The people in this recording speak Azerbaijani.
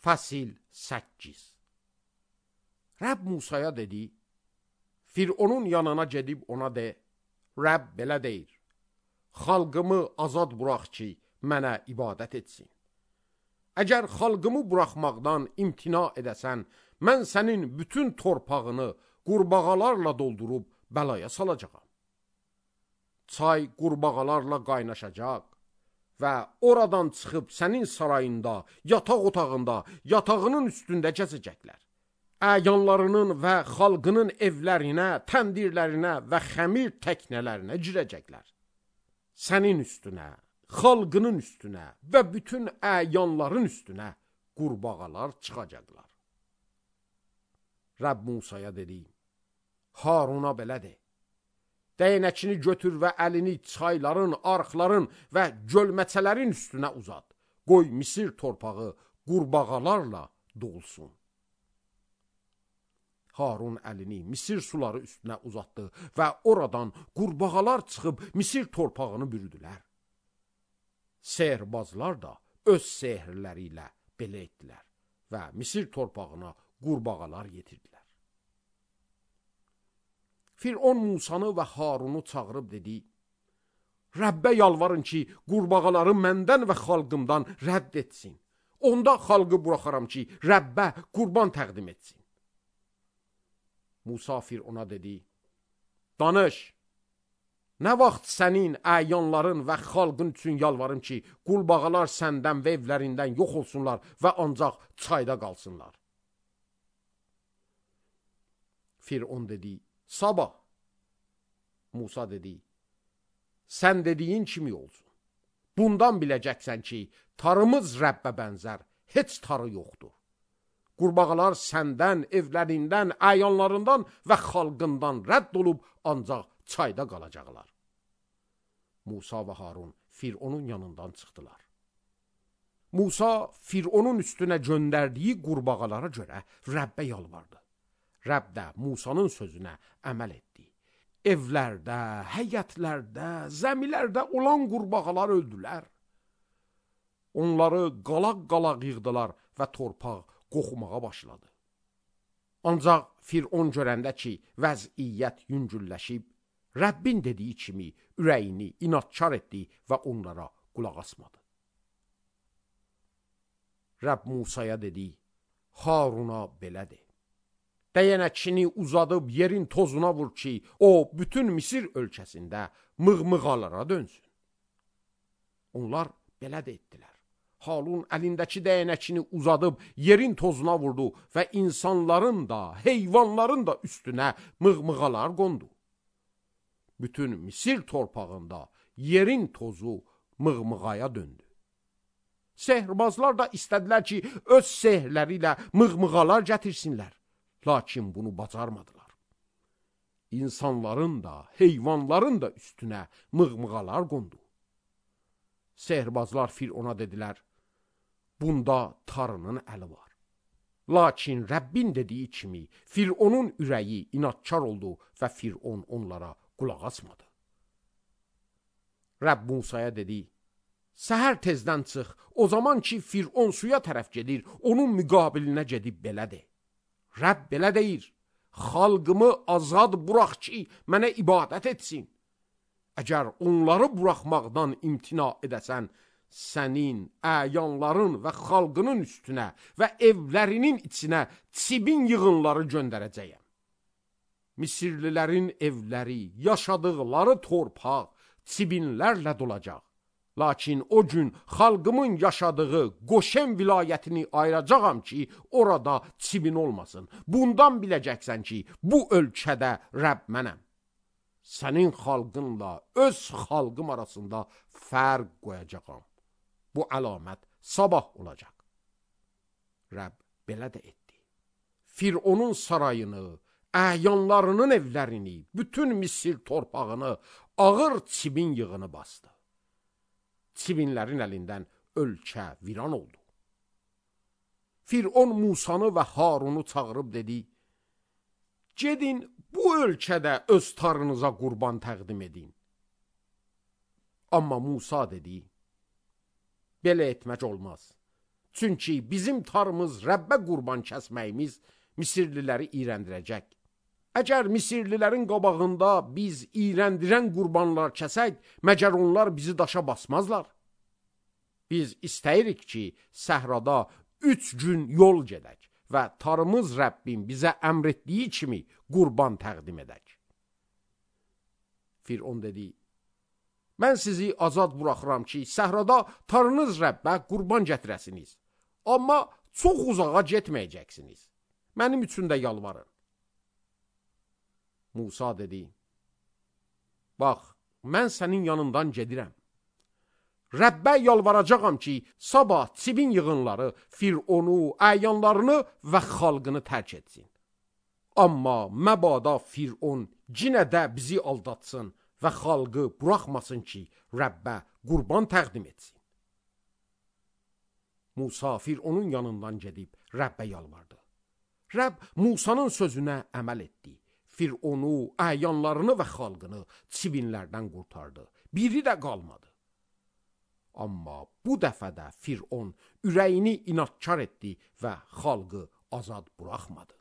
Fəsil 8. Rəbb Musaya dedi, Fironun yanına gedib ona de, Rəbb belə deyir, xalqımı azad burax ki, mənə ibadət etsin. Əgər xalqımı buraxmaqdan imtina edəsən, mən sənin bütün torpağını qurbağalarla doldurub bəlaya salacağam. Çay qurbağalarla qaynaşacaq və oradan çıxıb sənin sarayında, yataq otağında, yatağının üstündə gəzəcəklər. Əyanlarının və xalqının evlərinə, təndirlərinə və xəmir təknələrinə girəcəklər. Sənin üstünə, xalqının üstünə və bütün əyanların üstünə qurbağalar çıxacaqlar. Rəbb Musaya dedi, Haruna belə de, Dəynəkini götür və əlini çayların, arxların və gölməçələrin üstünə uzat. Qoy Misir torpağı qurbağalarla dolsun. Harun əlini Misir suları üstünə uzatdı və oradan qurbağalar çıxıb Misir torpağını bürüdülər. Sehrbazlar da öz sehrləri ilə belə etdilər və Misir torpağına qurbağalar yetirdilər. Firon Musanı və Harunu çağırıb dedi, Rəbbə yalvarın ki, qurbağaları məndən və xalqımdan rədd etsin. Onda xalqı buraxaram ki, Rəbbə qurban təqdim etsin. Musa Firona dedi, danış, nə vaxt sənin əyanların və xalqın üçün yalvarım ki, qurbağalar səndən və evlərindən yox olsunlar və ancaq çayda qalsınlar. Firon dedi, sabah. Musa dedi, sən dediyin kimi olsun. Bundan biləcəksən ki, tarımız Rəbbə bənzər, heç tarı yoxdur. Qurbağalar səndən, evlərindən, əyanlarından və xalqından rədd olub, ancaq çayda qalacaqlar. Musa və Harun Fironun yanından çıxdılar. Musa Fironun üstünə göndərdiyi qurbağalara görə Rəbbə yalvardı. Rəbb də Musanın sözünə əməl etdi. Evlərdə, həyətlərdə, zəmilərdə olan qurbağalar öldülər. Onları qalaq-qalaq yığdılar və torpaq qoxumağa başladı. Ancaq Firon görəndə ki, vəziyyət yüngülləşib, Rəbbin dediyi kimi ürəyini inadkar etdi və onlara qulaq asmadı. Rəbb Musaya dedi, Haruna belə de. Dəyənəkini uzadıb yerin tozuna vur ki, o bütün Misir ölkəsində mığmığalara dönsün. Onlar belə də etdilər. Harun əlindəki dəyənəkini uzadıb yerin tozuna vurdu və insanların da, heyvanların da üstünə mığmığalar qondu. Bütün Misir torpağında yerin tozu mığmığaya döndü. Sehrbazlar da istədilər ki, öz sehrləri ilə mığmığalar gətirsinlər. Lakin bunu bacarmadılar. İnsanların da, heyvanların da üstünə mığmığalar qondu. Sehrbazlar Firona dedilər, bunda tarının əli var. Lakin Rəbbin dediyi kimi Fironun ürəyi inadkar oldu və Firon onlara qulaq asmadı. Rəbb Musaya dedi, səhər tezdən çıx, o zaman ki Firon suya tərəf gedir, onun müqabilinə gedib belə de. Rəbb belə deyir, xalqımı azad burax ki, mənə ibadət etsin. Əgər onları buraxmaqdan imtina edəsən, sənin, əyanların və xalqının üstünə və evlərinin içinə çibin yığınları göndərəcəyəm. Misirlilərin evləri, yaşadıqları torpaq çibinlərlə dolacaq. Lakin o gün xalqımın yaşadığı Qoşen vilayətini ayıracağam ki, orada çibin olmasın. Bundan biləcəksən ki, bu ölkədə Rəbb mənəm. Sənin xalqınla öz xalqım arasında fərq qoyacağam. Bu əlamət sabah olacaq. Rəbb belə də etdi. Fironun sarayını, əyanlarının evlərini, bütün Misir torpağını ağır çibin yığını bastı. Çibinlərin əlindən ölkə viran oldu. Firon Musanı və Harunu çağırıb dedi, gedin bu ölkədə öz tarınıza qurban təqdim edin. Amma Musa dedi, belə etmək olmaz. Çünki bizim tarımız Rəbbə qurban kəsməyimiz Misirliləri iyrəndirəcək. Əgər Misirlilərin qabağında biz iyrəndirən qurbanlar kəsək, məgər onlar bizi daşa basmazlar? Biz istəyirik ki, səhrada 3 gün yol gedək və tarımız Rəbbin bizə əmr etdiyi kimi qurban təqdim edək. Firon dedi, mən sizi azad buraxıram ki, səhrada tarınız Rəbbə qurban gətirəsiniz. Amma çox uzağa getməyəcəksiniz. Mənim üçün də yalvarın. Musa dedi, bax, mən sənin yanından gedirəm. Rəbbə yalvaracağam ki, sabah çivin yığınları Fironu, əyanlarını və xalqını tərk etsin. Amma məbada Firon cinə də bizi aldatsın və xalqı buraxmasın ki, Rəbbə qurban təqdim etsin. Musa Fironun yanından gedib Rəbbə yalvardı. Rəbb Musanın sözünə əməl etdi. Fironu, əyanlarını və xalqını çivinlərdən qurtardı. Biri də qalmadı. Amma bu dəfə də Firon ürəyini inadkar etdi və xalqı azad buraxmadı.